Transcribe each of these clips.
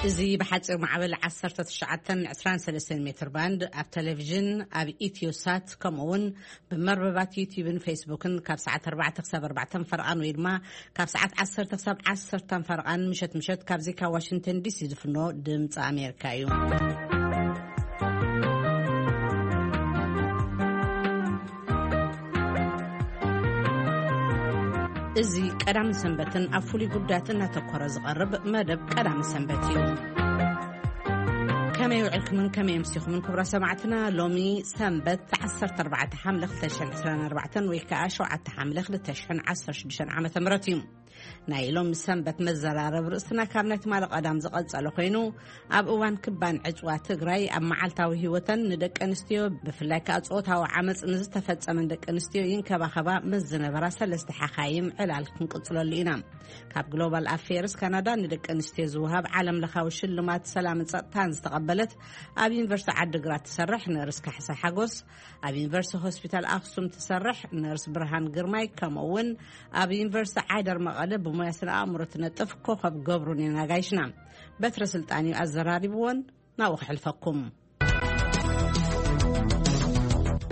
እዚ ብሓፂር ማዕበል ዓሰርተ ትሽዓተ ዕስራን ሰለስተን ሜትር ባንድ ኣብ ቴሌቪዥን፣ ኣብ ኢትዮ ሳት፣ ከምኡ እውን ብመርበባት ዩቲዩብን ፌስቡክን ካብ ሰዓት ኣርባዕተ ክሳብ ኣርባዕተ ፈርቓን ወይ ድማ ካብ ሰዓት ዓሰርተ ክሳብ ዓሰርተ ፈርቓን ምሸት ምሸት ካብዚ ካብ ዋሽንግተን ዲሲ ዝፍኖ ድምፂ ኣሜሪካ እዩ። እዚ ቀዳምን ሰንበትን ኣብ ፍሉይ ጉዳያት እናተኮረ ዝቐርብ መደብ ቀዳምን ሰንበት እዩ። ከመይ ውዕልኩምን ከመይ ኣምሲኹምን ክቡራ ሰማዕትና? ሎሚ ሰንበት ዓሰርተ ኣርባዕተ ሓምለ ክልተ ሽሕን ዕስራን ኣርባዕተን ወይ ከዓ ሸውዓተ ሓምለ ክልተ ሽሕን ዓሰርተ ሽዱሽተን ዓመተ ምህረት እዩ። ናይ ሎሚ ሰንበት መዘራረብ ርእስና ካብ ናይ ትማሊ ቀዳም ዝቐጸለ ኮይኑ፣ ኣብ እዋን ክባን ዕጽዋ ትግራይ ኣብ መዓልታዊ ህይወተን ንደቂ ኣንስትዮ፣ ብፍላይ ከዓ ጾታዊ ዓመጽ ንዝተፈጸመን ደቂ ኣንስትዮ ይንከባኸባ ምስ ዝነበራ ሰለስተ ሓኻይም ዕላል ክንቅጽለሉ ኢና። ካብ ግሎባል ኣፌርስ ካናዳ ንደቂ ኣንስትዮ ዝወሃብ ዓለም ለኻዊ ሽልማት ሰላምን ጸጥታን ዝተቐበለት ኣብ ዩኒቨርሲቲ ዓዲግራት ትሰርሕ ነርስ ካሕሳ ሓጎስ፣ ኣብ ዩኒቨርሲቲ ሆስፒታል ኣክሱም ትሰርሕ ነርስ ብርሃን ግርማይ፣ ከምኡ እውን ኣብ ዩኒቨርሲቲ ዓይደር መቐለ ብሞያ ስነ ኣእምሮ ትነጥፍ ኮኸብ ገብሩን የናጋይሽና። በትረ ስልጣን እዩ ኣዘራሪብዎን፣ ናብኡ ክሕልፈኩም።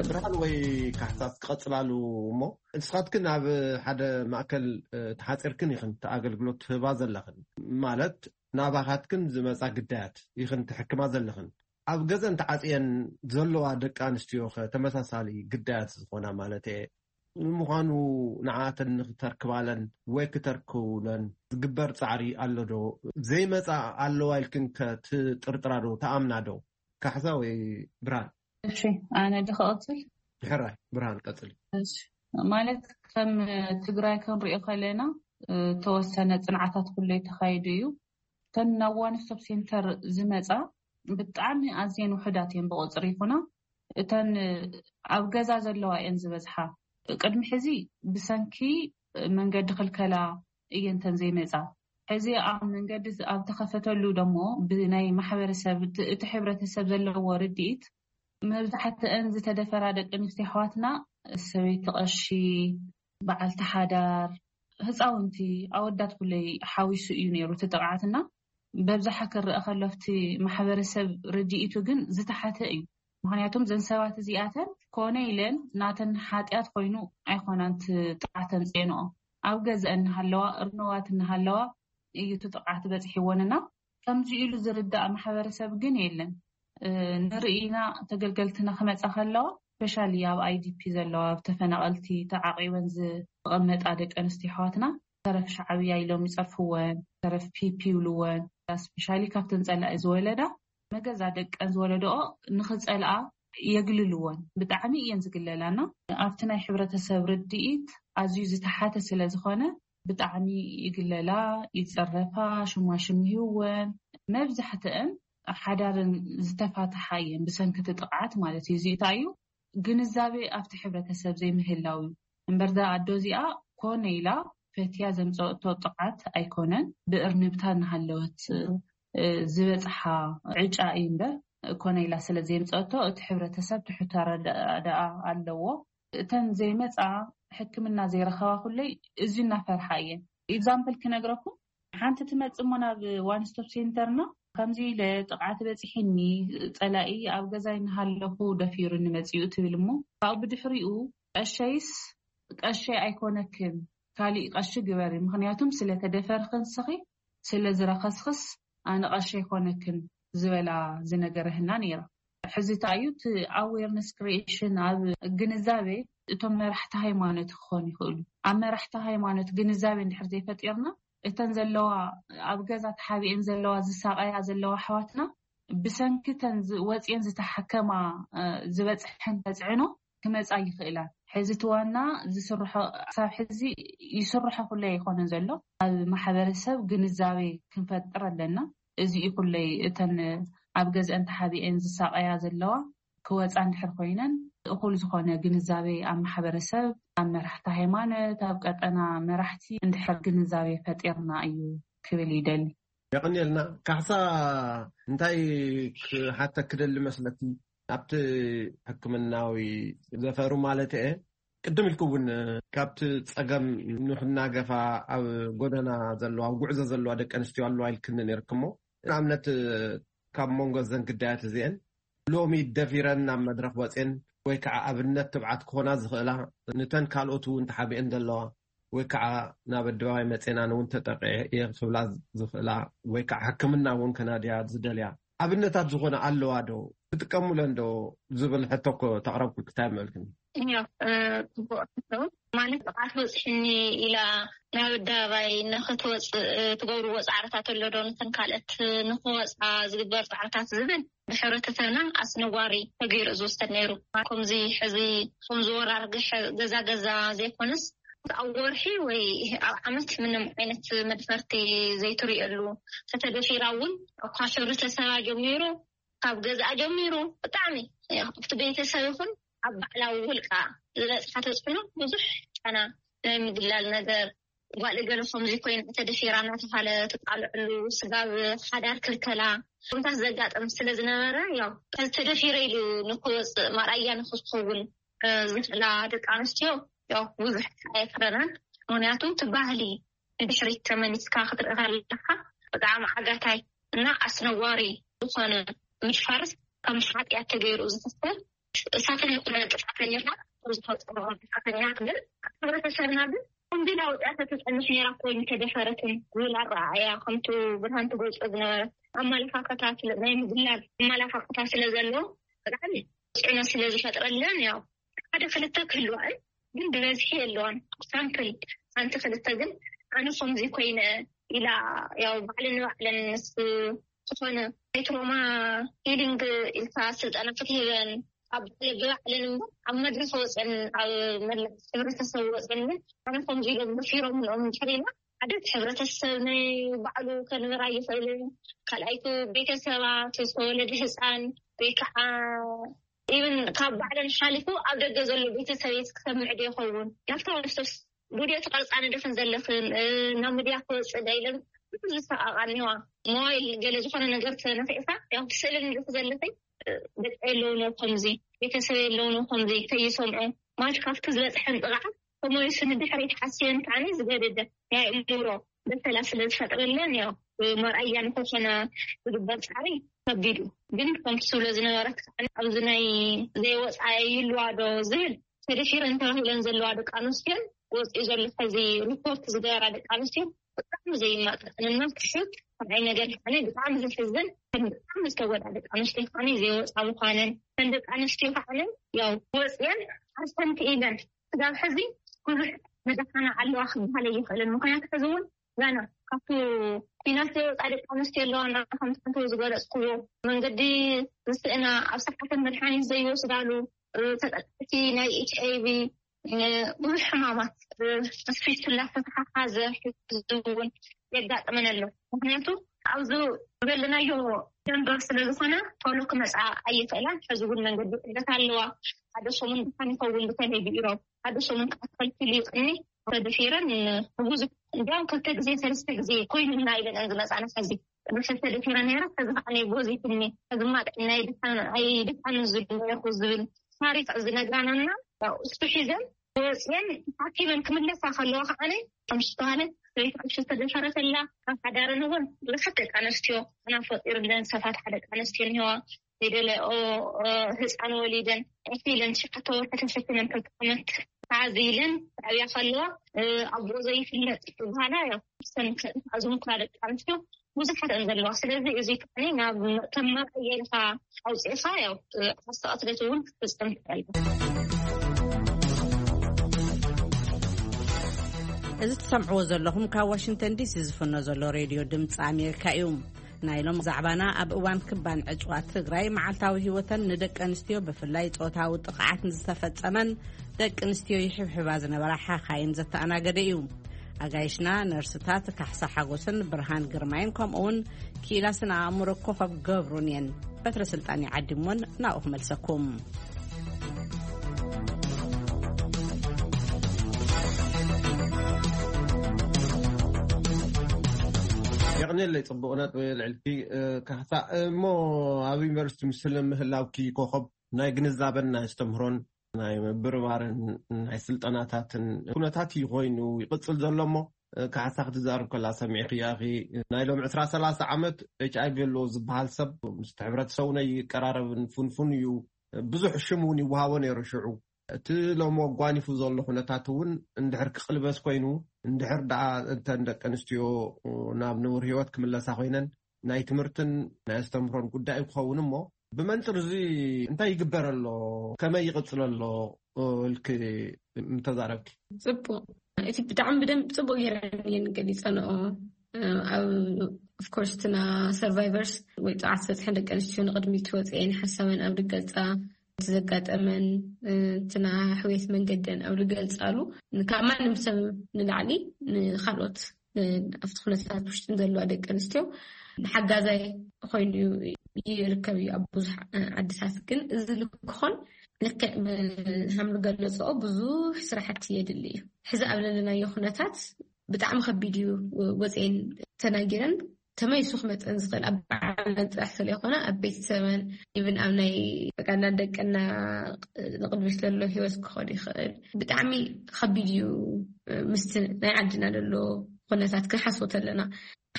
ብርሃን ወይ ካሕሳስ ክቐጽላሉ እሞ፣ ንስኻትክን ኣብ ሓደ ማእከል፣ እ፣ ተሓጺርክን ኢኽን እቲ ኣገልግሎት ትህባ ዘለኽን፣ ማለት ናባኻትክን ዝመጻ ግዳያት ኢኽን ትሕክማ ዘለኽን። ኣብ ገዘን ተዓጽየን ዘለዋ ደቂ ኣንስትዮ ኸ ተመሳሳሊ ግዳያት ዝኾና ማለት እየ። ንምዃኑ ንዓተን ንኽተርክባለን ወይ ክተርክቡለን ዝግበር ጻዕሪ ኣሎ ዶ? ዘይመጻ ኣለዋ ኢልክን ከ ትጥርጥራ ዶ? ተኣምና ዶ? ካሕሳ ወይ ብርሃን? እሺ፣ ኣነ ዶ ክቐጽል? ሕራይ፣ ብርሃን ቀጽሊ። እሺ፣ ማለት ከም ትግራይ ክንሪኦ ከለና፣ እ፣ ተወሰነ ጽንዓታት ኩሉ ተኻይዱ እዩ። እተን ናብ ዋን ስቶፕ ሴንተር ዝመጻ ብጣዕሚ ኣዝየን ውሑዳት እየን ብቁጽሪ ይኹና። እተን ኣብ ገዛ ዘለዋ እየን ዝበዝሓ። ቅድሚ ሕዚ ብሰንኪ መንገዲ ክልከላ እየን እተን ዘይመጻ። ሕዚ ኣብ መንገዲ ኣብ ተኸፈተሉ ደሞ ብናይ ማሕበረሰብ እቲ፣ እቲ ሕብረተሰብ ዘለዎ ርድኢት መብዛሕትአን ዝተደፈራ ደቂ ኣንስትዮ ኣሕዋትና ሰበይቲ ቀሺ፣ በዓልቲ ሓዳር፣ ህፃውንቲ፣ ኣወዳት ኩለይ ሓዊሱ እዩ ነይሩ እቲ ጥቕዓትና። በብዝሓ ክረአ ከሎ ኣብቲ ማሕበረሰብ ርድኢቱ ግን ዝተሓተ እዩ። ምኽንያቱም ዘን ሰባት እዚኣተን ኮነ ኢለን ናተን ሓጢኣት ኮይኑ ኣይኮናን እቲ ጥቕዓት ኣምፅኤንኦ። ኣብ ገዝአን እናሃለዋ፣ እርነዋት እናሃለዋ እዩ እቲ ጥቕዓት በፂሕወንና። ከምዚ ኢሉ ዝርዳእ ማሕበረሰብ ግን የለን። እ፣ ንርኢና ተገልገልትና ክመፃ ከለዋ፣ ስፔሻሊ ኣብ ኣይ ዲ ፒ ዘለዋ፣ ኣብ ተፈናቐልቲ ተዓቂበን ዝቐመጣ ደቂ ኣንስትዮ ኣሕዋትና፣ ተረፍ ሻዕብያ ኢሎም ይፀርፍወን፣ ተረፍ ፒ ፒ ይብልወን። ስፔሻሊ ካብተን ፀላኢ ዝወለዳ፣ መገዛ ደቀን ዝወለደኦ ንኽፀልኣ የግልልወን። ብጣዕሚ እየን ዝግለላና። ኣብቲ ናይ ሕብረተሰብ ርድኢት ኣዝዩ ዝተሓተ ስለ ዝኾነ፣ ብጣዕሚ ይግለላ፣ ይፀረፋ፣ ሽማሽም ይህወን። መብዛሕትአን ሓዳረን ዝተፋትሓ እየን ብሰንኪ እቲ ጥቕዓት ማለት እዩ። እዚ እንታይ እዩ? ግንዛቤ ኣብቲ ሕብረተሰብ ዘይምህላው እዩ። እምበር እዛ ኣዶ እዚኣ ኮነ ኢላ ፈትያ ዘምፀአቶ ጥቕዓት ኣይኮነን። ብእርንብታ እናሃለወት፣ እ፣ ዝበፅሓ ዕጫ እዩ እምበር፣ ኮነ ኢላ ስለ ዘምፀአቶ እቲ ሕብረተሰብ ትሑት ኣረዳድኣ ኣለዎ። እተን ዘይመፃ፣ ሕክምና ዘይረኸባ ኩለይ እዚ እናፈርሓ እየን። ኤግዛምፕል ክነግረኩም፣ ሓንቲ ትመጽእ እሞ ናብ ዋን ስቶፕ ሴንተርና፣ ከምዚ ኢለ ጥቕዓት በፂሕኒ፣ ጸላኢ ኣብ ገዛይ እናሃለኹ ደፊሩኒ መጺኡ ትብል እሞ፣ ካብኡ ብድሕሪኡ ቀሸይስ ቀሸይ ኣይኮነክን፣ ካሊእ ቀሺ ግበሪ፣ ምኽንያቱም ስለ ተደፈርኺ ንስኺ፣ ስለ ዝረኸስክስ ኣነ ቀሺ ኣይኮነክን ዝበላ ዝነገረህና ነይራ። ሕዚ እንታይ እዩ እቲ ኣዌርነስ ክሪኤሽን፣ ኣብ ግንዛቤ እቶም መራሕቲ ሃይማኖት ክኾኑ ይኽእሉ። ኣብ መራሕቲ ሃይማኖት ግንዛቤ እንድሕር ዘይፈጢርና፣ እተን ዘለዋ፣ ኣብ ገዛ ተሓቢኤን ዘለዋ፣ ዝሳቐያ ዘለዋ ኣሕዋትና፣ ብሰንኪ እተን ዝ-፣ ወፂኤን ዝተሓከማ፣ እ፣ ዝበፅሐን ተፅዕኖ ክመፃ ይኽእላ። ሕዚ እቲ ዋና ዝስርሖ፣ ክሳብ ሕዚ ይስርሖ ኩለ ኣይኮነን ዘሎ። ኣብ ማሕበረሰብ ግንዛቤ ክንፈጥር ኣለና። እዚ እዩ ኩለይ እተን ኣብ ገዝአን ተሓቢኤን ዝሳቐያ ዘለዋ ክወፃ እንድሕር ኮይነን፣ እኹል ዝኾነ ግንዛቤ ኣብ ማሕበረሰብ፣ ኣብ መራሕቲ ሃይማኖት፣ ኣብ ቀጠና መራሕቲ እንድሕር ግንዛቤ ፈጢርና እዩ ክብል ይደሊ። የቐንየልና። ካሕሳ፣ እንታይ ክሓተክ ክደሊ መስለኪ? ኣብቲ ሕክምናዊ ዘፈሩ ማለት እየ። ቅድም ኢልክ እውን ካብቲ ጸገም ንኽናገፋ ኣብ ጎደና ዘለዋ፣ ኣብ ጉዕዞ ዘለዋ ደቂ ኣንስትዮ ኣለዋ ኢልክኒ ነይርክ እሞ፣ ንኣብነት ካብ መንጎ ዘን ግዳያት እዚአን ሎሚ ደፊረን ናብ መድረኽ ወፅን ወይ ከዓ ኣብነት ትብዓት ክኾና ዝኽእላ፣ ንተን ካልኦት እውን ተሓቢአን ዘለዋ ወይ ከዓ ናብ ኣደባባይ መፅና እውን ተጠቂዐ እየ ክብላ ዝኽእላ ወይ ከዓ ሕክምና እውን ከናድያ ዝደልያ ኣብነታት ዝኾነ ኣለዋ ዶ? ትጥቀሙለን ዶ ዝብል ሕቶ እኮ ተቕረብኩ። ክታይ መልክኒ? እዮ ጽቡቅ ሕቶ። ማለት ጥቃት በፅሕኒ ኢላ ናብ ኣደባባይ ንክትወፅእ ትገብርዎ ፃዕርታት ኣሎ ዶ? ነተን ካልኦት ንክወፃ ዝግበር ፃዕርታት ዝብል ብሕብረተሰብና ኣስነዋሪ ተገይሩ ዝወሰድ ነይሩ። ከምዚ ሕዚ ከምዚ ወራርግሕ ገዛ ገዛ ዘይኮነስ ኣብ ወርሒ ወይ ኣብ ዓመት ምንም ዓይነት መድፈርቲ ዘይትሪእሉ፣ ተተደፊራ እውን ካብ ሕብረተሰባ ጀሚሩ ካብ ገዛኣ ጀሚሩ ብጣዕሚ ኣብቲ ቤተሰብ ይኹን ኣብ ባዕላዊ ውልቃ ዝበፅሓ ተፅዕኖ ብዙሕ ጫና ናይ ምግላል ነገር፣ ጓል እገለ ከምዚ ኮይና ተደፊራ እናተባሃለ ትቃልዕሉ፣ ስጋብ ሓዳር ክልከላ ኩነታት ዘጋጥም ስለ ዝነበረ ያው ተደፊረ ኢሉ ንክወፅእ ማርኣያ ንክትኸውን ዝኽእላ ደቂ ኣንስትዮ ያው ብዙሕ ኣየፍረናን። ምክንያቱ እቲ ባህሊ ንድሕሪት ተመሊስካ ክትርኢ ከለካ ብጣዕሚ ዓጋታይ እና ኣስነዋሪ ዝኾነ ምድፋርስ ከም ሓጢኣት ተገይሩ ዝኽሰል እሳትን ይኹነ ጥፋተኛታት ዝፈፀሙ ጥፋተኛት ግን ሕብረተሰብና ግን ከምዚ ላውጢያ ተተፀንሕ ነራ ኮይኑ ተደፈረትን ዝብል ኣረኣእያ ከምቱ ብርሃን ትገልፆ ዝነበረት ኣመለካከታ ናይ ምግላል ኣመለካከታ ስለ ዘለዎ ብጣዕሚ ፅዕኖ ስለ ዝፈጥረለን ያው ሓደ ክልተ ክህልዋን ግን ብበዝሒ የለዋን። ሳምፕል ሓንቲ ክልተ ግን ኣነ ከምዚ ኮይነ ኢላ ያው ባዕልን ንባዕለን ምስ ዝኾነ ናይ ትሮማ ሂሊንግ ኢልካ ስልጠና ክትህበን ኣብ ብባዕለን እምበር ኣብ መድረክ ወፅን ኣብ መላ ሕብረተሰብ ወፅን ግን ኣነ ከምዚ ኢሎም መፊሮም ንኦም እንድሕሪና ሓደ እቲ ሕብረተሰብ ናይ ባዕሉ ከንበራ ይኽእልን ካልኣይቲ ቤተሰባት ዝተወለደ ህፃን ወይ ከዓ ኢብን ካብ ባዕለን ሓሊፉ ኣብ ደገ ዘሎ ቤተሰብ ክሰምዕ ዶ ይኸውን ናብታ ወስቶስ ቪድዮ ትቐርፃ ንደኽን ዘለኽን ናብ ሚድያ ክወፅእ ዳ ኢለን ብዙ ዝሰቃቃ እኒዋ ሞባይል ገለ ዝኾነ ነገር ተነኪዕካ ያው ትስእልን ንደክ ዘለኽን ደቂ የለውን ከምዚ ቤተሰብ የለውን ከምዚ ከይሰምዑ ማለት ካብቲ ዝበፅሐን ጥቕዓት ተመሊሱ ንድሕሪት ሓስየን ከዓኒ ዝገደደ ናይ እምሮ በሰላ ስለ ዝፈጥረለን ያው መርኣያ ንክኾነ ዝግበር ፃዕሪ ከቢዱ ግን ከምቲ ስብሎ ዝነበረት ከዓኒ ኣብዚ ናይ ዘይወፃ ይልዋ ዶ ዝብል ተደፊረን ተባሂለን ዘለዋ ደቂ ኣንስትዮን ወፂኡ ዘሎ ሕዚ ሪፖርት ዝገበራ ደቂ ኣንስትዮ ብጣዕሚ ዘይማጣጠንና ትሑት ከዓይ ነገር ከዓኒ ብጣዕሚ ዘሕዝን ብጣዕሚ ዝተጎዳ ደቂ ኣንስትዮ ከዓኒ ዘይወፃ ምኳነን ከም ደቂ ኣንስትዮ ከዓኒ ያው ወፅየን ሓሰንቲ ኢለን ስጋብ ሕዚ ብዙሕ መድሓና ኣለዋ ክበሃል ኣይኽእልን ምክንያቱ ሕዚ እውን ዛና ካብቲ ፊናንስ ዘይወፃ ደቂ ኣንስትዮ ኣለዋ እና ከምቲ ዝገለፅክዎ መንገዲ ዝስእና ኣብ ሰዓተን መድሓኒት ዘይወስዳሉ ተጠቀቲ ናይ ኤች ኣይቪ ብዙሕ ሕማማት ስፊቱላ ተተሓሓዘ ሕዚ እውን የጋጥመን ኣሎ ምክንያቱ ኣብዚ ዝበለናዮ ደንበር ስለ ዝኾነ ቶሎ ክመፃ ኣይኽእላን ሕዚ እውን መንገዲ ዕለት ኣለዋ ሓደ ሰሙን ድሓን ይኸውን ብተለይ ብኢሮብ ሓደ ሰሙን ከዓ ከልኪሉ ይቕኒ ተደፊረን ብዙሕ እንዲያውም ክልተ ግዜ ሰለስተ ግዜ ኮይኑና ኢለን እን ዝመፃና ሕዚ ቅድሚ ሕዚ ተደፊረ ነይረ ሕዚ ከዓ ናይ ጎዚትኒ ሕዚ ማ ጥዕናይ ኣይድሓንን ዝድነኹ ዝብል ታሪክ ዝነግራናና እሱ ሒዘን ወፅየን ሓኪመን ክምለሳ ከለዋ ከዓነ ከም ዝተባሃለ ሰበይቲ ቅድሚ ዝተደፈረተላ ካብ ሓዳረን እውን ብዙሓት ደቂ ኣነስትዮ ኣና ፈጢሩለን ሰፋት ሓደ ደቂ ኣነስትዮ እኒዋ ዘይደለ ህፃን ወሊደን ዕፊለን ትሽዓተ ወርሒ ተሸኪመን ክልተ ዓመት ተዓዚለን ዓብያ ከለዋ ኣብኡ ዘይፍለጥ ዝበሃላ ያው ሰን ኣዝሙክላ ደቂ ኣንስትዮ ብዙሓት እን ዘለዋ ስለዚ እዚ ከዓኒ ናብ ከም መርኣያ ኢልካ ኣውፅእካ ያው ኣስተቐትለት እውን ክትፍፅም ትኽእል እዚ ትሰምዕዎ ዘለኹም ካብ ዋሽንግተን ዲሲ ዝፍኖ ዘሎ ሬድዮ ድምፂ ኣሜሪካ እዩ። ናይ ሎም ዛዕባና ኣብ እዋን ክባን ዕፅዋት ትግራይ መዓልታዊ ህይወተን ንደቂ ኣንስትዮ ብፍላይ ፆታዊ ጥቕዓት ንዝተፈፀመን ደቂ ኣንስትዮ ይሕብሕባ ዝነበራ ሓኻይን ዘተኣናገደ እዩ። ኣጋይሽና ነርስታት ካሕሳ ሓጎስን ብርሃን ግርማይን ከምኡውን ኪኢላ ስነ ኣእምሮ ኮኸብ ገብሩን እየን። በትረ ስልጣን ይዓዲሞን ናብኡ ክመልሰኩም። የቕኔለይ ጽቡቕ ነጥቢ ልዕልቲ ካሕሳ እሞ ኣብ ዩኒቨርሲቲ ምስል ምህላውኪ ኮኸብ ናይ ግንዛበን ናይ ኣስተምህሮን ናይ ምብርባርን ናይ ስልጠናታትን ኩነታት እዩ ኮይኑ ይቕጽል ዘሎ እሞ ካሕሳ ክትዛረብ ከላ ሰሚዕክያ ኢኺ። ናይ ሎም ዕስራ ሰላሳ ዓመት ኤች ኣይ ቪ ኣለዎ ዝበሃል ሰብ ምስ ሕብረተሰቡ ነይቀራረብን ፍንፉን እዩ። ብዙሕ ሽም እውን ይወሃቦ ነይሩ ሽዑ። እቲ ሎም ኣጓኒፉ ዘሎ ኩነታት እውን እንድሕር ክቕልበስ ኮይኑ፣ እንድሕር ደኣ እተን ደቂ ኣንስትዮ ናብ ንቡር ህይወት ክምለሳ ኮይነን፣ ናይ ትምህርትን ናይ ኣስተምህሮን ጉዳይ ክኸውን እሞ፣ ብመንፅር እዚ እንታይ ይግበር ኣሎ፣ ከመይ ይቕፅል ኣሎ ኢልክ እንተዛረብኪ? ፅቡቅ። እቲ ብጣዕሚ ብደንብ ፅቡቅ ገይረን እየን ገሊፀንኦ። ኣብ ኦፍኮርስ እትና ሰርቫይቨርስ ወይ ጥዓት ዝበፅሐን ደቂ ኣንስትዮ ንቅድሚት ወፅኤን ሓሳበን ኣብ ድገልፃ፣ እቲ ዘጋጠመን እትና ሕውየት መንገደን ኣብ ድገልፃሉ፣ ካብ ማንም ሰብ ንላዕሊ ንካልኦት ኣብቲ ኩነታት ውሽጥን ዘለዋ ደቂ ኣንስትዮ ሓጋዛይ ኮይኑ ይርከብ እዩ። ኣብ ብዙሕ ዓድታት ግን እዚ ልክኾን ልክዕ ብሃም ዝገለፅኦ ብዙሕ ስራሕቲ የድሊ እዩ። ሕዚ ኣብ ዘለናዮ ኩነታት ብጣዕሚ ከቢድ እዩ። ወፅኤን ተናጊረን ተመይሱ ክመፀን ዝኽእል ኣብ በዓለን ጥራሕ ስለይኮነ ኣብ ቤተሰበን ኢብን ኣብ ናይ በቃ እንዳ ደቅና ንቅድሚት ዘሎ ህይወት ክኸዱ ይኽእል። ብጣዕሚ ከቢድ እዩ። ምስቲ ናይ ዓድና ዘሎ ኩነታት ክንሓስቦ ተለና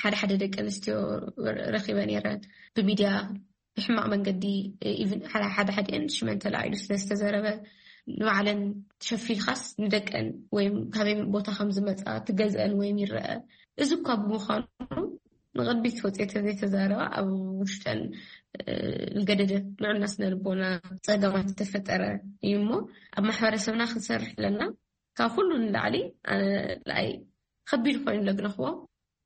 ሓደ ሓደ ደቂ ኣንስትዮ ረኺበ ነይረን ብሚድያ ብሕማቕ መንገዲ ኢቭን ሓደ ሓዲአን ሽመን ተላዒሉ ስለዝተዘረበ ንባዕለን ሸፊልካስ ንደቀን ወይም ካበይ ቦታ ከም ዝመፃ ትገዝአን ወይም ይረአ። እዚ እኳ ብምዃኑ ንቕድሚት ወፅኤ ተዘይተዛረባ ኣብ ውሽጠን ዝገደደ ልዑልና ስነ ልቦና ፀገማት ዝተፈጠረ እዩ። እሞ ኣብ ማሕበረሰብና ክንሰርሕ ኣለና። ካብ ኩሉ ንላዕሊ ኣይ ከቢድ ኮይኑ ለግነኽዎ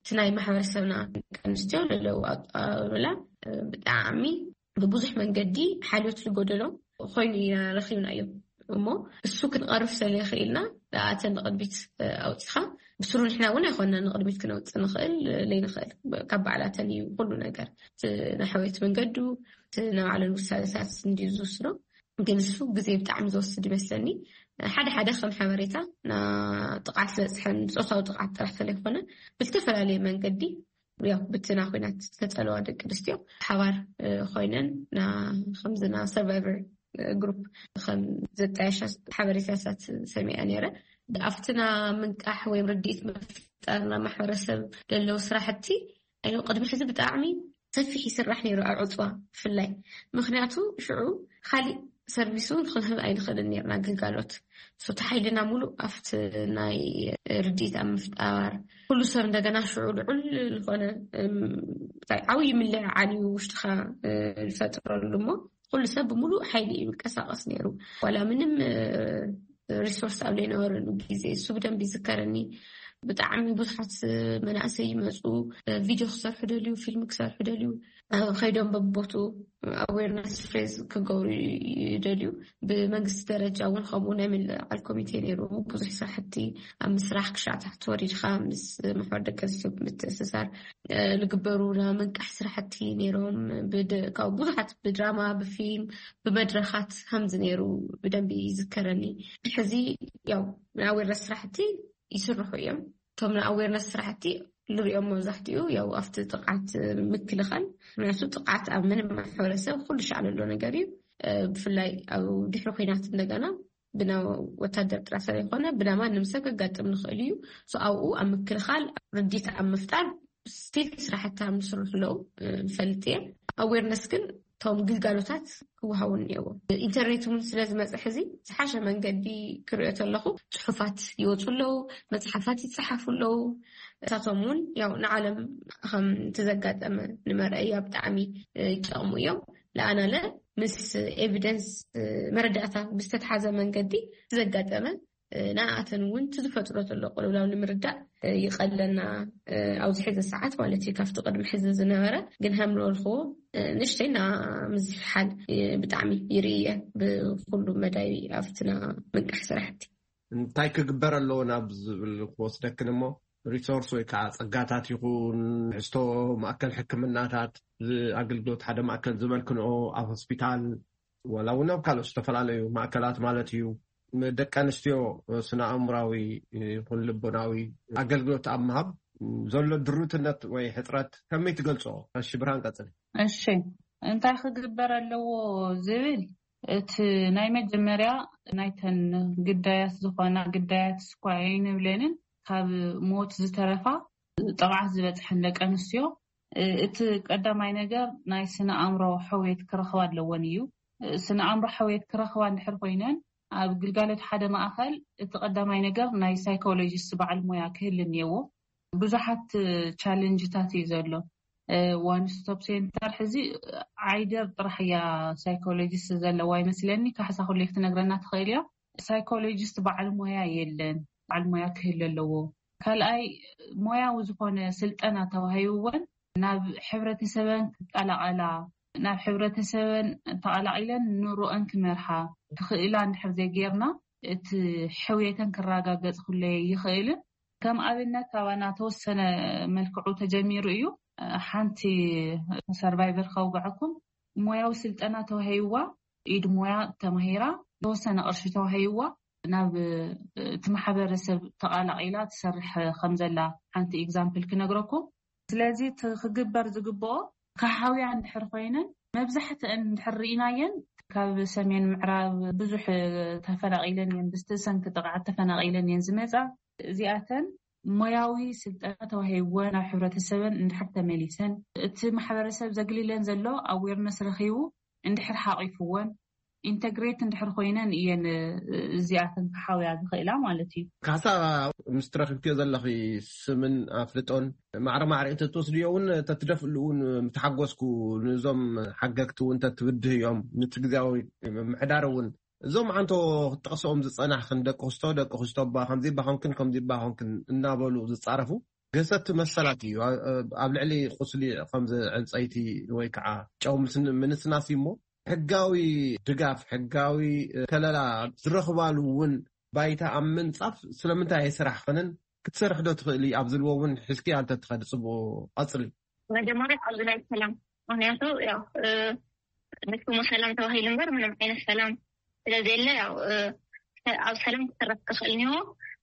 እቲ ናይ ማሕበረሰብና ደቂ ኣንስትዮ ለለው ኣቃብላ ብጣዕሚ ብብዙሕ መንገዲ ሓልዮት ዝጎደሎ ኮይኑ ኢና ረኺብናዮ። እሞ እሱ ክንቐርፍ ስለይኽኢልና ኣተን ንቕድሚት ኣውፂኻ ብስሩ ንሕና እውን ኣይኮና ንቕድሚት ክነውፅእ ንኽእል ለይንኽእል ካብ ባዕላተን እዩ ኩሉ ነገር። እቲ ናይ ሕውየት መንገዱ እቲ ናይ ባዕለን ውሳነታት እንድዩ ዝውስኖ። ግን እሱ ግዜ ብጣዕሚ ዝወስድ ይመስለኒ። ሓደ ሓደ ከም ሓበሬታ ጥቕዓት ዝበፅሐን ፆታዊ ጥቕዓት ጥራሕ ስለይኮነ ብዝተፈላለየ መንገዲ ያው ብትና ኩናት ዝተፀለዋ ደቂ ኣንስትዮ ሓባር ኮይነን ከምዚ ና ሰርቫይቨር ግሩፕ ከም ዘጣየሻ ሓበሬታታት ሰሚዐ ነይረ። ኣብትና ምንቃሕ ወይም ርድኢት ምፍጣርና ማሕበረሰብ ለለው ስራሕቲ ኣይ ቅድሚ ሕዚ ብጣዕሚ ሰፊሕ ይስራሕ ነይሩ ኣብ ዕፅዋ ብፍላይ ምክንያቱ ሽዑ ካሊእ ሰርቪስ እውን ክንህብ ኣይንኽእልን ነርና ግልጋሎት ሶቲ ሓይልና ሙሉእ ኣብቲ ናይ ርድኢት ኣብ ምፍጣር ኩሉ ሰብ እንደገና ሽዑ ልዑል ዝኾነ እንታይ ዓብዪ ምልዕዓል እዩ ውሽጥኻ ዝፈጥረሉ እሞ ኩሉ ሰብ ብምሉእ ሓይሊ እዩ ይንቀሳቀስ ነይሩ ዋላ ምንም ሪሶርስ ኣብ ዘይነበረሉ ግዜ እሱ ብደንብ ይዝከረኒ። ብጣዕሚ ብዙሓት መናእሰይ ይመፁ ቪድዮ ክሰርሑ ደልዩ ፊልም ክሰርሑ ደልዩ ከይዶም በቦቱ ኣዌርነስ ሬዝ ክገብሩ ይደልዩ። ብመንግስቲ ደረጃ እውን ከምኡ ናይ ምልዕዓል ኮሚቴ ነይሩ ብዙሕ ስራሕቲ ኣብ ምስራሕ ክሻዕ ታሕቲ ወሪድካ ምስ ማሕበር ደቂ ኣንስትዮ ብምትእስሳር ዝግበሩ ናይ ምንቃሕ ስራሕቲ ነይሮም። ካብ ብዙሓት ብድራማ ብፊልም ብመድረኻት ከምዚ ነይሩ ብደንቢ ይዝከረኒ። ሕዚ ያው ናይ ኣዌርነስ ስራሕቲ ይስርሑ እዮም። እቶም ናይ ኣዌርነስ ስራሕቲ ንሪኦም መብዛሕትኡ ያው ኣብቲ ጥቕዓት ምክልኻል ምክንያቱ ጥቕዓት ኣብ ምንም ማሕበረሰብ ኩሉ ሻዕ ዘሎ ነገር እዩ። ብፍላይ ኣብ ድሕሪ ኩናት እንደገና ብና ወታደር ጥራሕ ስለይኮነ ብና ማንም ሰብ ከጋጥም ንኽእል እዩ። ኣብኡ ኣብ ምክልኻል ርዲት ኣብ ምፍጣር ስቲል ስራሕቲ ኣብ ምስርሑ ኣለዉ። ንፈልጥ እየ ኣዌርነስ ግን እቶም ግልጋሎታት ክወሃቡ እኒአዎ። ኢንተርኔት እውን ስለ ዝመፅእ ሕዚ ዝሓሸ መንገዲ ክሪኦ ተለኹ ፅሑፋት ይወፁ ኣለዉ፣ መፅሓፋት ይፀሓፉ ኣለዉ። እሳቶም እውን ያው ንዓለም ከም ተዘጋጠመ ንመርኣያ ብጣዕሚ ይጠቕሙ እዮም። ለኣናለ ምስ ኤቪደንስ መረዳእታ ብዝተተሓዘ መንገዲ ዘጋጠመ ንኣተን እውን ዝፈጥሮ ዘሎ ቅልውላው ንምርዳእ ይቐለና። ኣብዚ ሕዚ ሰዓት ማለት እዩ ካብቲ ቅድሚ ሕዚ ዝነበረ ግን ከም ዝበልክዎ ንእሽተይ እና ምዝሕሓል ብጣዕሚ ይርእየ ብኩሉ መዳይ ኣብትና ምንቃሕ ስራሕቲ። እንታይ ክግበር ኣለዎ ናብ ዝብል ክወስደክን እሞ ሪሶርስ ወይ ከዓ ፀጋታት ይኹን ሕዝቶ ማእከል ሕክምናታት ኣገልግሎት ሓደ ማእከል ዝበልክንኦ ኣብ ሆስፒታል ዋላ እውን ኣብ ካልኦት ዝተፈላለዩ ማእከላት ማለት እዩ ደቂ ኣንስትዮ ስነ ኣእምራዊ ይኹን ልቦናዊ ኣገልግሎት ኣብ ምሃብ ዘሎ ድሩትነት ወይ ሕፅረት ከመይ ትገልፅኦ? እሺ ብርሃን ቀፅል። እሺ እንታይ ክግበር ኣለዎ ዝብል እቲ ናይ መጀመርያ ናይተን ግዳያት ዝኾና ግዳያት ስኳ ኣይንብለንን ካብ ሞት ዝተረፋ ጥቕዓት ዝበፅሐን ደቂ ኣንስትዮ፣ እቲ ቀዳማይ ነገር ናይ ስነ ኣእምሮ ሕውየት ክረኽባ ኣለወን እዩ። ስነ ኣእምሮ ሕውየት ክረኽባ እንድሕር ኮይነን፣ ኣብ ግልጋሎት ሓደ ማእኸል እቲ ቀዳማይ ነገር ናይ ሳይኮሎጂስት በዓል ሞያ ክህል እኒየዎ። ብዙሓት ቻለንጅታት እዩ ዘሎ። ዋን ስቶፕ ሴንተር ሕዚ ዓይደር ጥራሕ እያ ሳይኮሎጂስት ዘለዋ ይመስለኒ። ካሕሳ ኩሉ ክትነግረና ትኽእል እያ። ሳይኮሎጂስት በዓል ሞያ የለን። በዓል ሞያ ክህል ኣለዎ። ካልኣይ፣ ሞያዊ ዝኾነ ስልጠና ተዋሂብወን ናብ ሕብረተሰበን ክቀላቐላ፣ ናብ ሕብረተሰበን ተቐላቒለን ኑሮአን ክመርሓ ክኽእላ እንድሕር ዘይጌርና፣ እቲ ሕውየተን ክረጋገጽ ክሎ ይኽእልን። ከም ኣብነት፣ ካባና ተወሰነ መልክዑ ተጀሚሩ እዩ። ሓንቲ ሰርቫይቨር ከውግዐኩም፣ ሞያዊ ስልጠና ተዋሂብዋ፣ ኢድ ሞያ ተማሂራ፣ ተወሰነ ቅርሺ ተዋሂብዋ፣ ናብ እቲ ማሕበረሰብ ተቓላቒላ ትሰርሕ ከም ዘላ ሓንቲ ኤግዛምፕል ክነግረኩም። ስለዚ እቲ ክግበር ዝግብኦ፣ ካሓውያ እንድሕር ኮይነን፣ መብዛሕትአን እንድሕር ርኢናየን፣ ካብ ሰሜን ምዕራብ ብዙሕ ተፈናቒለን እየን፣ ብዝተሰንኪ ጥቕዓት ተፈናቒለን እየን ዝመጻ። እዚኣተን ሞያዊ ስልጠና ተዋሂብወን ናብ ሕብረተሰበን እንድሕር ተመሊሰን፣ እቲ ማሕበረሰብ ዘግልለን ዘሎ ኣዌርነስ ረኺቡ እንድሕር ሓቒፍወን፣ ኢንተግሬት እንድሕር ኮይነን እየን እዚኣተን ክሓውያ ዝኽእላ ማለት እዩ። ካሳ፣ ምስ ትረክብክዮ ዘለኺ ስምን ኣፍልጦን ማዕረ ማዕረ እንተትወስድዮ እውን፣ ተትደፍእሉ እውን ምተሓጎስኩ። ንዞም ሓገግቲ እውን ተትብድህ እዮም፣ ነቲ ግዜያዊ ምምሕዳር እውን። እዞም ዓንቶ ክትጠቕስኦም ዝጸናሕክን፣ ደቂ ክስቶ፣ ደቂ ክስቶ እባ ከምዚ እባ ኾንክን፣ ከምዚ እባ ኾንክን እናበሉ ዝጻረፉ ገሰቲ መሰላት እዩ። ኣብ ልዕሊ ቁስሊ ከም ዕንጸይቲ ወይ ከዓ ጨው ምስ-፣ ምንስናስ እዩ እሞ፣ ሕጋዊ ድጋፍ፣ ሕጋዊ ከለላ ዝረኽባሉ እውን ባይታ ኣብ ምንጻፍ ስለምንታይ ኣይስራሕክንን? ክትሰርሕ ዶ ትኽእሊ? ኣብ ዝልዎ እውን ሒዝኪ ኣንተ ትኸዲ ጽቡቕ ቀጽሊ። መጀመርያ ኣብዚ ናይ ሰላም፣ ምክንያቱ ያው፣ እ፣ ንስሙ ሰላም ተባሂሉ እምበር ምንም ዓይነት ሰላም ስለዘየለ፣ ያው፣ እ፣ ኣብ ሰላም ክስራሕ ክኽእል እኒሆ፣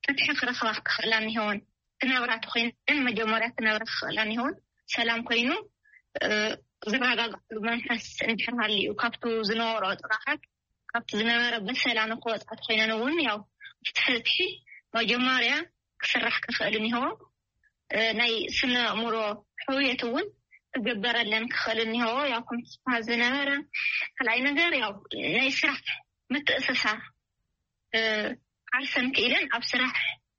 ፍትሒ ክረኽባ ክኽእላ እኒሆን፣ ክነብራ ተኮይነን መጀመርያ ክነብራ ክኽእላ እኒሆን፣ ሰላም ኮይኑ፣ እ፣ ዝረጋግዕሉ መንፈስ እንድሕር ሃልዩ፣ ካብቱ ዝነበሮ ጥቕዓት፣ ካብቲ ዝነበረ በሰላ ንክወፃ ተኮይነን እውን፣ ያው፣ እቲ ፍትሒ መጀመርያ ክስራሕ ክኽእል እኒሆ። እ፣ ናይ ስነ ኣእምሮ ሕውየት እውን ክግበረለን ክኽእል እኒሆ። ያው፣ ከም ዝበሃል ዝነበረ፣ ካልኣይ ነገር፣ ያው፣ ናይ ስራሕ ምትእስሳር፣ እ፣ ዓርሰን ክኢለን ኣብ ስራሕ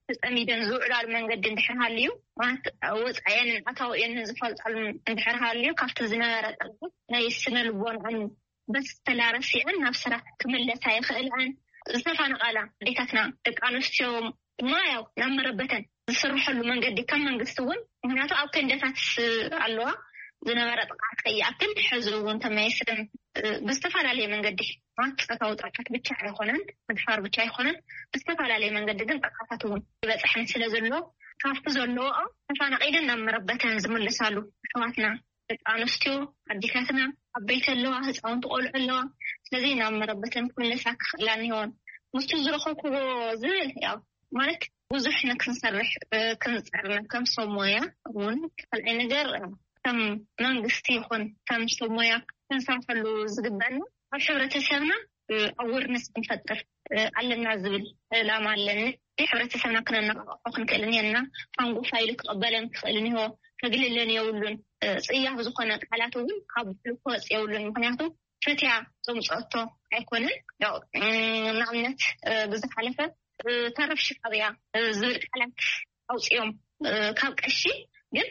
ተጸሚደን ዝውዕላሉ መንገዲ እንድሕር ሃልዩ፣ ማለት፣ ወጻኤን ኣታዊኦን ዝፈልጣሉ እንድሕር ሃልዩ፣ ካብቲ ዝነበረ ጸገም ናይ ስነ ልቦናን በሰላ ረሲዐን ናብ ስራሕ ክምለሳ ይኽእላን። ዝተፈናቐላ ኣዴታትና፣ ደቂ ኣንስትዮ ድማ፣ ያው፣ ናብ መረበተን ዝስርሐሉ መንገዲ ከም መንግስቲ እውን፣ ምክንያቱ ኣብ ቴንዳታት ኣለዋ፣ ዝነበረ ጥቕዓት ከይኣክል፣ ሕዚ እውን ተመያይሰን፣ እ፣ ብዝተፈላለየ መንገዲ፣ ማለት፣ ጾታዊ ጥቕዓት ብቻ ኣይኮነን፣ ምድፋር ብቻ ኣይኮነን፣ ብዝተፈላለየ መንገዲ ግን ጥቕዓታት እውን ይበፅሐን ስለ ዘሎ፣ ካብቲ ዘለዎኦ ተፈናቒለን ናብ መረበተን ዝምልሳሉ ኣሕዋትና፣ ደቂ ኣንስትዮ፣ ኣዴታትና፣ ዓበይቲ ኣለዋ፣ ህፃውንቲ ቆልዑ ኣለዋ። ስለዚ ናብ መረበተን ክምለሳ ክኽእላ እኒሆን። ምስቱ ዝረኸብክዎ ዝብል፣ ያው፣ ማለት፣ ብዙሕ ንክንሰርሕ፣ እ፣ ክንፅዕር ከም ሰብ ሞያ እውን። ካልኣይ ነገር፣ ከም መንግስቲ ይኹን ከም ሰብ ሞያ ክንሰርሐሉ ዝግበአና፣ ኣብ ሕብረተሰብና፣ እ፣ ኣዌርነስ ክንፈጥር፣ እ፣ ኣለና ዝብል ዕላማ ኣለኒ። ሕብረተሰብና ክነነቃቕሖ ክንክእል እኒሀና። ሃንጎፋ ኢሉ ክቕበለን ክኽእል እኒሆ፣ ከግልለን የብሉን። እ፣ ጽያፍ ዝኾነ ቃላት እውን ካብ ባዕሉ ክወጽእ የብሉን። ምክንያቱ ፈትያ ዘምጽኦቶ ኣይኮነን። ያው፣ እ፣ ንኣብነት፣ እ፣ ብዝሓለፈ፣ እ፣ ተረፍ ሽቃብ እያ፣ እ፣ ዝብል ቃላት ኣውጺኦም፣ እ፣ ካብ ቀሺ ግን፣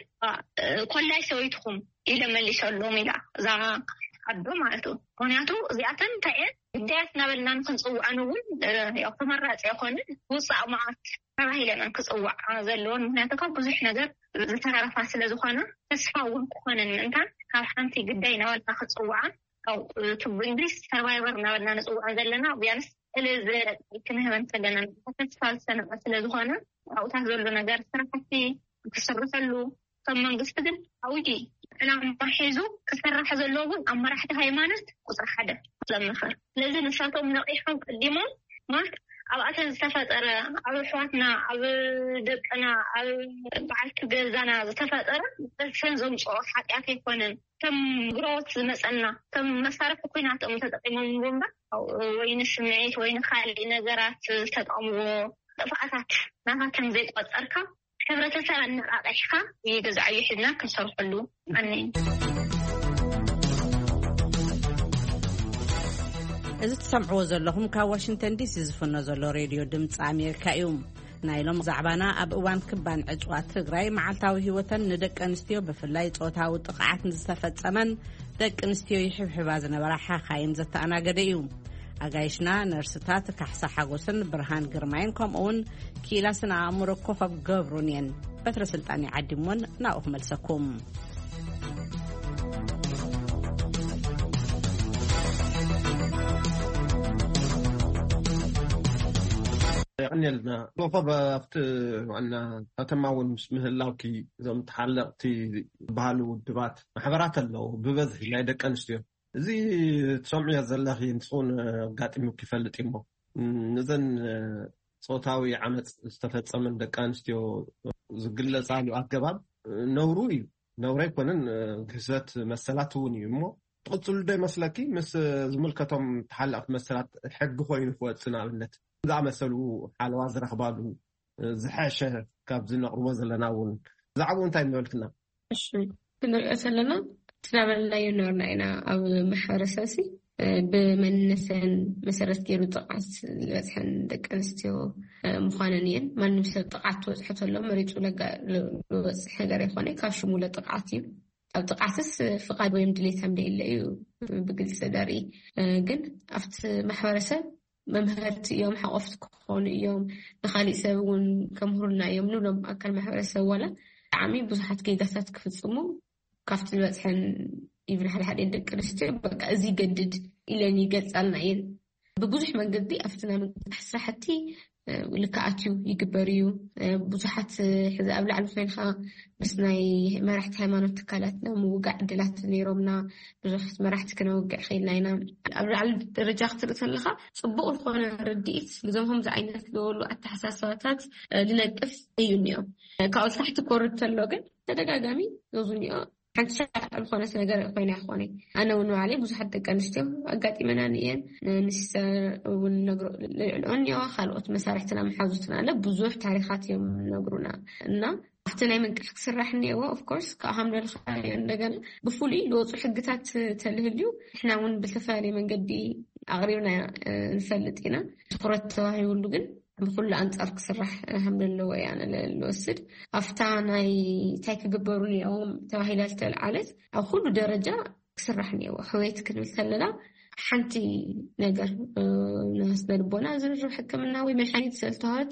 እ፣ ኮላይ ሰበይትኹም ኢለ መሊሰሎም ኢላ እዛ ኣዶ ማለት እዩ። ምክንያቱ እዚኣተን እንታይ እየን፣ ግዳያት እናበልና ንክንፅውዐን እውን፣ እ፣ ያው ተመራፂ ኣይኮንን፣ ውፃእ መዓት ተባሂለን ክፅዋዓ ዘለዎን። ምክንያቱ ካብ ብዙሕ ነገር ዝተረፋ ስለ ዝኾነ፣ ተስፋ እውን ክኾነን ምእንታን ካብ ሓንቲ ግዳይ እናበልካ ክፅውዓን፣ ያው፣ እ፣ ቱ ብእንግሊዝ ሰርቫይቨር እናበልና ንፅውዐን ዘለና፣ ቢያንስ ዕልል ዝበለ ቃል ክንህበን ከለና፣ ተስፋ ዝሰነቐ ስለ ዝኾነ፣ ኣብኡታት ዘሎ ነገር ስራሕቲ ክስርሐሉ፣ ከም መንግስቲ ግን ዓብዪ ዕላማ ሒዙ ክስራሕ ዘለዎ እውን ኣብ መራሕቲ ሃይማኖት ቁፅሪ ሓደ ዘምኽር። ስለዚ ንሳቶም ነቒሖም ቀዲሞም፣ ማለት፣ ኣብኣተን ዝተፈጠረ፣ ኣብ ኣሕዋትና፣ ኣብ ደቅና፣ ኣብ በዓልቲ ገዛና ዝተፈጠረ በሰን ዘምፅኦ ሓጢኣት ኣይኮነን። ከም ግሮት ዝመፀና፣ ከም መሳርሒ ኩናት እዮም ተጠቂሞም እምበር፣ ወይ ንስምዒት ወይ ንካሊእ ነገራት ዝተጠቀምዎ ጥፍኣታት ናኻ ከም ዘይቆጸርካ፣ ሕብረተሰብ ኣነቓቒሕካ፣ የገዛዕዮ ሒዝና ክንሰርሐሉ። ኣነ እዚ ትሰምዕዎ ዘለኹም ካብ ዋሽንግተን ዲሲ ዝፍኖ ዘሎ ሬድዮ ድምፂ ኣሜሪካ እዩ። ናይ ሎም ዛዕባና፣ ኣብ እዋን ክባን ዕፅዋት ትግራይ መዓልታዊ ህይወተን ንደቂ ኣንስትዮ ብፍላይ ፆታዊ ጥቕዓት ንዝተፈፀመን ደቂ ኣንስትዮ ይሕብሕባ ዝነበራ ሓኻይም ዘተኣናገደ እዩ። ኣጋይሽና ነርስታት ካሕሳ ሓጎስን ብርሃን ግርማይን፣ ከምኡውን ክኢላ ስነ ኣእምሮ ኮኸብ ገብሩን እየን። በትረ ስልጣን ይዓዲሞን ናብኡ ክመልሰኩም። የቐንየልና ኮኸብ። ኣብቲ ዋና ከተማ እውን ምስ ምህላውኪ፣ እዞም ተሓለቕቲ ዝበሃሉ ውድባት፣ ማሕበራት ኣለዉ፣ ብበዝሒ ናይ ደቂ ኣንስትዮ። እዚ ትሰምዕዮ ዘለኺ ንስኹን ኣጋጢሙኪ ይፈልጥ እሞ፣ እዘን ፆታዊ ዓመፅ ዝተፈፀመን ደቂ ኣንስትዮ ዝግለፃሉ ኣገባብ ነውሩ እዩ። ነውሪ ኣይኮነን፣ ግህሰት መሰላት እውን እዩ። እሞ ትቕፅሉ ዶ ይመስለኪ? ምስ ዝምልከቶም ተሓለቕቲ መሰላት፣ ሕጊ ኮይኑ ክወፅእ፣ ንኣብነት ዝኣመሰሉ ሓለዋ ዝረኽባሉ ዝሐሸ ካብዚ ነቕርቦ ዘለና እውን፣ ብዛዕባኡ እንታይ ምበልክና? እሺ፣ ክንሪኦ ዘለና፣ እቲ እናበለናዮ ነበርና ኢና። ኣብ ማሕበረሰብ ሲ ብመንነተን መሰረት ገይሩ ጥቕዓት ዝበፅሐን ደቂ ኣንስትዮ ምዃነን እየን። ማንም ሰብ ጥቕዓት ክበፅሖ ተሎ መሪፁ ለጋ- ዝበፅሕ ነገር ኣይኮነ፣ ካብ ሽሙ ለጥቕዓት እዩ። ኣብ ጥቕዓትስ ፍቓድ ወይም ድሌት ከም ደይለ እዩ ብግልፂ ዘርኢ። ግን ኣብቲ ማሕበረሰብ መምሀርቲ እዮም፣ ሓቆፍቲ ክኾኑ እዮም፣ ንኻሊእ ሰብ እውን ከምህሩልና እዮም ንብሎም ኣካል ማሕበረሰብ ዋላ ብጣዕሚ ብዙሓት ጌጋታት ክፍፅሙ ካብቲ ዝበፅሐን፣ ኢቭን ሓደ ሓደ ደቂ ኣንስትዮ በቃ እዚ ይገድድ ኢለን ይገልፃልና እየን። ብብዙሕ መንገዲ ኣብቲ ናይ ምንቅስቃስ ስራሕቲ ልክዓት እዩ፣ ይግበር እዩ። ብዙሓት ሕዚ ኣብ ላዕሊ ኮይንካ ምስ ናይ መራሕቲ ሃይማኖት ትካላት ናይ ምውጋዕ ዕድላት ነይሮምና፣ ብዙሓት መራሕቲ ክነውግዕ ኽኢልና ኢና። ኣብ ላዕሊ ደረጃ ክትርኢ ከለካ ፅቡቅ ዝኾነ ርድኢት ንዞም ከምዚ ዓይነት ዝበሉ ኣተሓሳስባታት ዝነቅፍ እዩ እኒኦ። ካብኡ ታሕቲ ክወርድ ተሎ ግን ተደጋጋሚ ዞዙ እኒኦ ሓንቲ ሻዕ ዝኾነት ነገር ኮይና ይኾነ። ኣነ እውን ባዕለይ ብዙሓት ደቂ ኣንስትዮ ኣጋጢመናኒ እየን። ንሲስተር እውን ነግሮ ልዕልኦ እኒኦ፣ ካልኦት መሳርሕትና መሓዙትና ኣለ ብዙሕ ታሪኻት እዮም ነግሩና። እና ኣብቲ ናይ ምንቃሕ ክስራሕ እኒአዎ። ኦፍኮርስ ካብ ሃምለልካ እንደገና ብፍሉይ ዝወፁ ሕግታት ተልህልዩ ንሕና እውን ብዝተፈላለየ መንገዲ ኣቕሪብና ንፈልጥ ኢና። ትኩረት ተዋሂብሉ ግን ብኩሉ ኣንጻር ክስራሕ ከም ዘለዎ እያ ንወስድ። ኣብታ ናይ እንታይ ክግበሩ እኒኦም ተባሂላ ዝተልዓለት ኣብ ኩሉ ደረጃ ክስራሕ እኒዎ። ሕውየት ክንብል ከለና ሓንቲ ነገር ናይ ስነ ልቦና ዝርርብ ሕክምና ወይ መድሓኒት ዝተዋህበት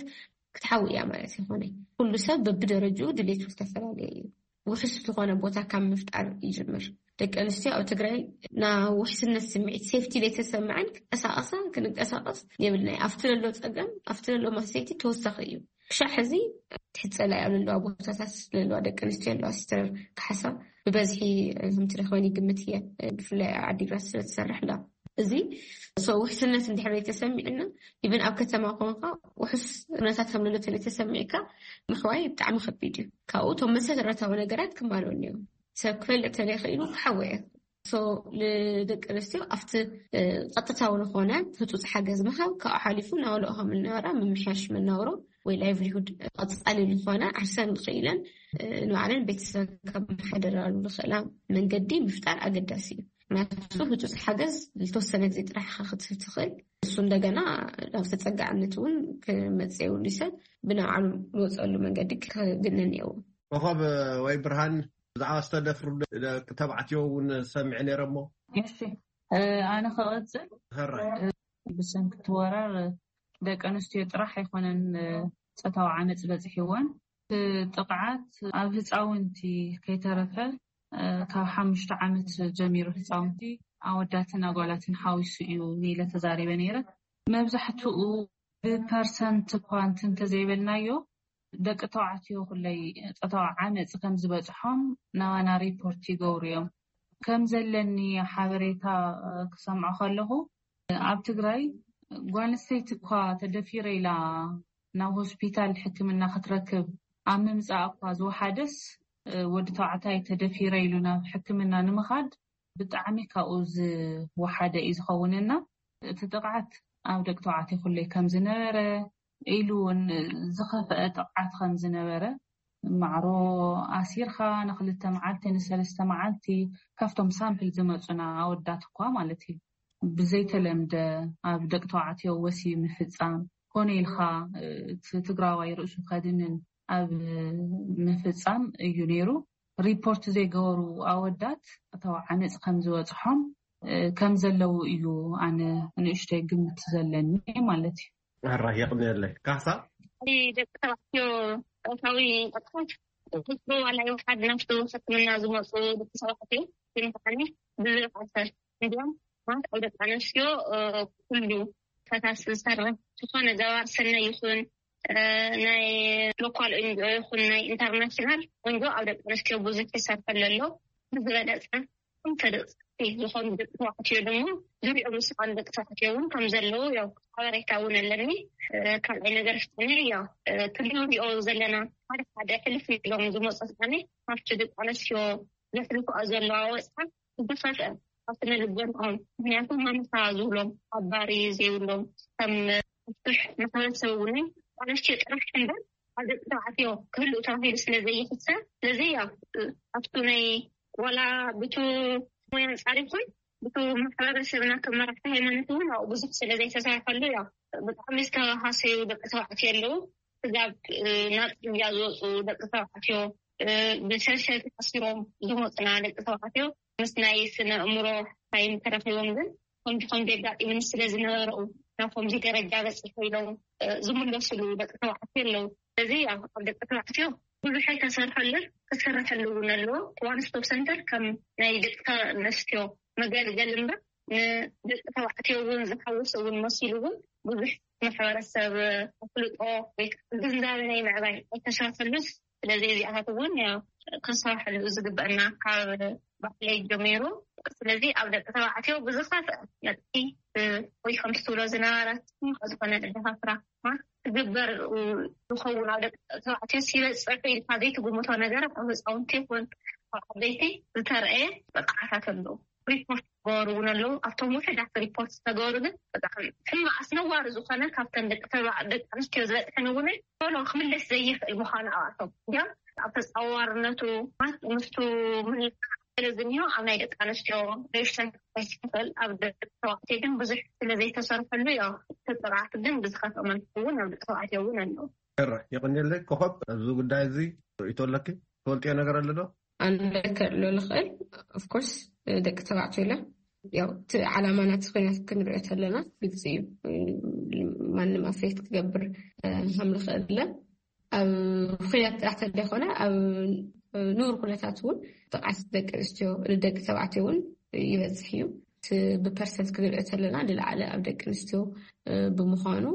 ክትሓዊ እያ ማለት ይኾነ። ኩሉ ሰብ በብደረጅኡ ድሌቱ ዝተፈላለየ እዩ። ውሕስ ዝኾነ ቦታ ካብ ምፍጣር ይጅምር። ደቂ ኣንስትዮ ኣብ ትግራይ ናብ ውሕስነት ስምዒት ሴፍቲ ዘይተሰምዐን ክቀሳቀሳ ክንቀሳቀስ የብልናይ። ኣብቲ ዘሎ ፀገም ኣብቲ ዘሎ ማሰይቲ ተወሳኺ እዩ። ክሻዕ ሕዚ ትሕፀላ ኣብ ዘለዋ ቦታታት ዘለዋ ደቂ ኣንስትዮ ኣለዋ። ሲስተር ካሕሳ ብበዝሒ ከምትረክበን ይግምት እየ፣ ብፍላይ ኣብ ዓዲግራት ስለትሰርሕ ላ እዚ ውሕስነት እንድሕር ዘይተሰሚዕና ኢብን ኣብ ከተማ ኮንካ ውሕስ ኩነታት ከም ዘሎ ተለይተሰሚዕካ ምሕዋይ ብጣዕሚ ከቢድ እዩ። ካብኡ እቶም መሰረታዊ ነገራት ክማልኡ እኒኦም። ሰብ ክፈልጥ ተለይክኢሉ ክሓወየ ንደቂ ኣንስትዮ ኣብቲ ቀጥታዊ ዝኾነ ህፁፅ ሓገዝ ምሃብ ካብኡ ሓሊፉ ናውልኦ ከም እናበራ ምምሕያሽ መናውሮ ወይ ላይቭሊሁድ ቀፃሊ ዝኾነ ዓርሰን ክኢለን ንባዕለን ቤተሰብ ካብ መሓደራሉ ዝኽእላ መንገዲ ምፍጣር ኣገዳሲ እዩ። ምክንያቱ ህፁፅ ሓገዝ ዝተወሰነ ግዜ ጥራሕ ክትህብ ትኽእል። እሱ እንደገና ናብ ተፀጋዕነት እውን ክመፅእ የብሉ። ሰብ ብናብዓሉ ዝወፀሉ መንገዲ ክግነን እየዎ። ኮኸብ ወይ ብርሃን፣ ብዛዕባ ዝተደፍሩ ደቂ ተባዕትዮ እውን ሰሚዐ ነይረ እሞ። እሺ፣ ኣነ ክቐፅል። ብሰንኪ እቲ ወራር ደቂ ኣንስትዮ ጥራሕ ኣይኮነን ፆታዊ ዓመፅ በፂሕወን። እቲ ጥቕዓት ኣብ ህፃውንቲ ከይተረፈ ካብ ሓሙሽተ ዓመት ጀሚሩ ህፃውንቲ ኣወዳትን ኣጓላትን ሓዊሱ እዩ ኢለ ተዛሪበ ነይረ። መብዛሕትኡ ብፐርሰንት እኳ እንትን ተዘይበልናዮ ደቂ ተባዕትዮ ኩለይ ፆታዊ ዓመፅ ከም ዝበፅሖም ናባና ሪፖርት ይገብሩ እዮም። ከም ዘለኒ ሓበሬታ ክሰምዖ ከለኹ ኣብ ትግራይ ጓል ኣንስተይቲ እኳ ተደፊረ ኢላ ናብ ሆስፒታል ሕክምና ክትረክብ ኣብ ምምፃእ እኳ ዝወሓደስ ወዲ ተባዕታይ ተደፊረ ኢሉ ናብ ሕክምና ንምኻድ ብጣዕሚ ካብኡ ዝወሓደ እዩ ዝኸውን እና እቲ ጥቕዓት ኣብ ደቂ ተባዕትዮ ኩለይ ከም ዝነበረ ኢሉ እውን ዝኸፍአ ጥቕዓት ከም ዝነበረ፣ ማዕሮ ኣሲርካ ንክልተ መዓልቲ ንሰለስተ መዓልቲ፣ ካብቶም ሳምፕል ዝመፁና ኣወዳት እኳ ማለት እዩ፣ ብዘይተለምደ ኣብ ደቂ ተባዕትዮ ወሲ ምፍፃም፣ ኮነ ኢልካ እቲ ትግራዋይ ርእሱ ከድንን ኣብ ምፍፃም እዩ ነይሩ። ሪፖርት ዘይገበሩ ኣወዳት እተው ዓመፅ ከም ዝበፅሖም ከም ዘለዉ እዩ ኣነ ንእሽተይ ግምት ዘለኒ ማለት እዩ። ኣራ የቕንየለይ። ካሳ? ደቂ ተባዕትዮ ፆታዊ ጥቕዓት ዋላ ይውሓድ ናብቲ ሕክምና ዝመፁ ደቂ ተባዕትዮ ግን ብዝበዓሰ እንዲም ማለት ኣብ ደቂ ኣንስትዮ ኩሉ ፈሳሲ ዝሰርሕ ዝኾነ ገባር ሰናይ ይኹን ናይ ሎካል ኤንጂኦ ይኹን ናይ ኢንተርናሽናል ኤንጂኦ ኣብ ደቂ ኣንስትዮ ብዙሕ ይሰርሐሉ ኣሎ። ብዝበለፀ ተደቂ ዝኾኑ ደቂ ተባዕትዮ ድማ ዙሪኦም ዝሰኣኑ ደቂ ተባዕትዮ እውን ከም ዘለዉ ያው ሓበሬታ እውን ኣለኒ። ካልኣይ ነገር ፍትኒ ያው ክንሪኦ ዘለና ሓደ ሓደ ሕልፍ ኢሎም ዝመፁ ፍትኒ ኣብቲ ደቂ ኣንስትዮ ዘሕልፍኦ ዘለዋ ወፅዓ ዝኸፍአ ኣብቲ ንልቦንኦም ምክንያቱ ማንሳ ዝብሎም ኣባሪ ዘይብሎም ከም ብዙሕ ማሕበረሰብ እውን ኣንስትዮ ጥራሕ እምበር ኣብ ደቂ ተባዕትዮ ክህልኡ ተባሂሉ ስለ ዘይሕሰብ ስለዚ ያው ኣብቱ ናይ ዋላ ብቱ ሞያ ኣንፃር ይኹን ብቱ ማሕበረሰብና ከም መራሕቲ ሃይማኖት እውን ኣብኡ ብዙሕ ስለ ዘይተሰርሐሉ ያው ብጣዕሚ ዝተባሃሰዩ ደቂ ተባዕትዮ ኣለዉ። ስጋብ ናብ ፅርግያ ዝወፁ ደቂ ተባዕትዮ ብሸሸ ተኣሲሮም ዝመፁና ደቂ ተባዕትዮ ምስ ናይ ስነ ኣእምሮ ሓይም ተረኺቦም ግን ከምዚ ከምዚ ኣጋጢሙኒ ስለ ዝነበረኡ ናብ ከምዚ ደረጃ በፂሑ ኢሎም ዝምለሱሉ ደቂ ተባዕትዮ ኣለዉ። ስለዚ ኣብ ደቂ ተባዕትዮ ብዙሕ ኣይተሰርሐሉን ክስርሐሉ እውን ኣለዎ። ዋን ስቶፕ ሰንተር ከም ናይ ደቂ ኣንስትዮ መገልገል እምበር ንደቂ ተባዕትዮ እውን ዝሓውስ እውን መሲሉ እውን ብዙሕ ማሕበረሰብ ኣፍልጦ ወይ ግንዛበ ናይ ምዕባይ ኣይተሰርሐሉስ ስለዚ እዚኣታት እውን ክሰርሐሉ ዝግበአና ካብ ባዕለይ ጀሚሩ ስለዚ ኣብ ደቂ ተባዕትዮ ብዝኸፍአ መጥቂ ወይ ከምቲ ትብሎ ዝነበረት ዝኾነ ደፋፍራ ትግበር ዝኸውን ኣብ ደቂ ተባዕትዮ ሲበፅሑ ኢልካ ዘይትግምቶ ነገር ኣብ ህፃውንቲ ይኹን ኣብ ዓበይቲ ዝተረአየ ጥቕዓታት ኣለዉ። ሪፖርት ዝገበሩ እውን ኣለዉ። ኣብቶም ውሕዳት ሪፖርት ዝተገበሩ ግን ብጣዕሚ ሕማቕ ኣስነዋሪ ዝኾነ ካብተን ደቂ ኣንስትዮ ዝበፅሐን እውን ቶሎ ክምለስ ዘይኽእል ምዃኑ ኣብኣቶም እንዲያም ኣብ ተፃዋርነቱ ምስቱ ምልካ ስለ ዝኒሆ ኣብ ናይ ደቂ ኣንስትዮ ሬሽን ክፈል ኣብ ደቂ ተባዕትዮ ግን ብዙሕ ስለ ዘይተሰርሐሉ ዮ ተፅርዓት ግን ብዝኸፍአ መልኩ እውን ኣብ ደቂ ተባዕትዮ እውን ኣለዉ። ይቕንየለይ ኮኸብ፣ ኣብዚ ጉዳይ እዚ ርእይቶ ኣለኪ? ትፈልጥዮ ነገር ኣሎ ዶ? ኣነ ከሎ ልኽእል ኦፍኮርስ ደቂ ተባዕትዮ ኢለ ያው እቲ ዓላማ ናቲ ኩናት ክንሪኦ ተለና ግልፂ እዩ። ማንም ኣፍሬት ክገብር ከም ልኽእል ለ ኣብ ኩናት ጥራሕ ተደይኮነ ኣብ ንቡር ኩነታት እውን ጥቕዓት ደቂ ኣንስትዮ ንደቂ ተባዕትዮ እውን ይበዝሕ እዩ። እቲ ብፐርሰንት ክንሪኦ ተለና ንላዕሊ ኣብ ደቂ ኣንስትዮ ብምዃኑ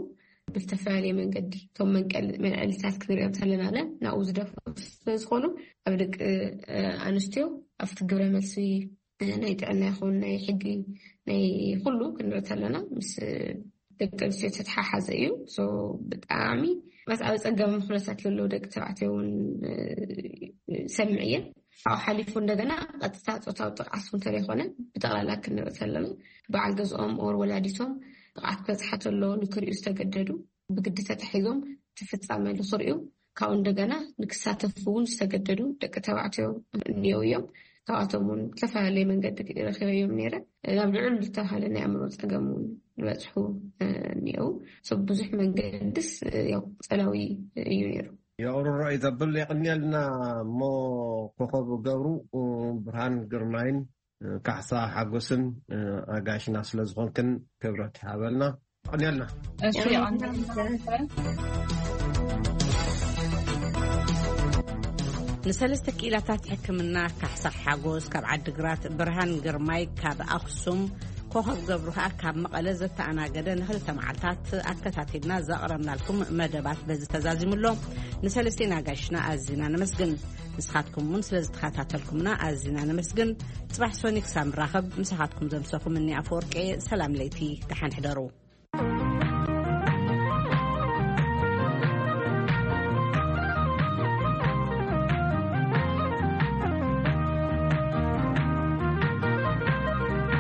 ብዝተፈላለየ መንገዲ እቶም መንቀል መንዕልታት ክንሪኦም ተለና ለ ናብኡ ዝደፍኡ ስለዝኾኑ ኣብ ደቂ ኣንስትዮ ኣብቲ ግብረ መልሲ ናይ ጥዕና ይኹን ናይ ሕጊ ናይ ኩሉ ክንርኢ ተለና ምስ ደቂ ኣንስትዮ ዝተተሓሓዘ እዩ። ብጣዕሚ መስ ኣብ ፀገም ኩነታት ለለዉ ደቂ ተባዕትዮ እውን ሰምዕ እየ። ካብኡ ሓሊፉ እንደገና ቀጥታ ፆታዊ ጥቕዓት እውን ተለይኮነ ብጠቕላላ ክንርኢ ተለና በዓል ገዝኦም ኦር ወላዲቶም ጥቕዓት ክበፅሓ ተሎ ንክርእዩ ዝተገደዱ ብግዲ ተታሒዞም እቲ ፍፃመ ንክርእዩ ካብኡ እንደገና ንክሳተፉ እውን ዝተገደዱ ደቂ ተባዕትዮ እኒአው እዮም። ካብኣቶም እውን ዝተፈላለየ መንገዲ ረኪበዮም ነይረ። ናብ ልዑል ዝተባሃለ ናይ ኣእምሮ ፀገም እውን ዝበፅሑ እኒአው። ሰብ ብዙሕ መንገድስ ያው ፀላዊ እዩ ነይሩ። የቕርሮ እዩ ዘብል የቕንየልና። እሞ ኮኸብ ገብሩ፣ ብርሃን ግርማይን ካሕሳ ሓጎስን ኣጋይሽና ስለ ዝኾንክን ክብረት ሃበልና። ቀንያልና። እሺ። ንሰለስተ ክኢላታት ሕክምና ካሕሳ ሓጎስ ካብ ዓድግራት፣ ብርሃን ግርማይ ካብ ኣክሱም፣ ኮኸብ ገብሩ ከዓ ካብ መቐለ ዘተኣናገደ ንክልተ መዓልታት ኣከታቲልና ዘቕረብናልኩም መደባት በዚ ተዛዚሙ ኣሎ። ንሰለስቴን ኣጋይሽና ኣዚና ነመስግን። ንስኻትኩም እውን ስለ ዝተኸታተልኩምና ኣዚና ነመስግን። ጽባሕ ሶኒ ክሳብ ንራኸብ ምሳኻትኩም ዘምሰኹም እኒ ኣፈወርቂ። ሰላም ለይቲ፣ ደሓን ሕደሩ።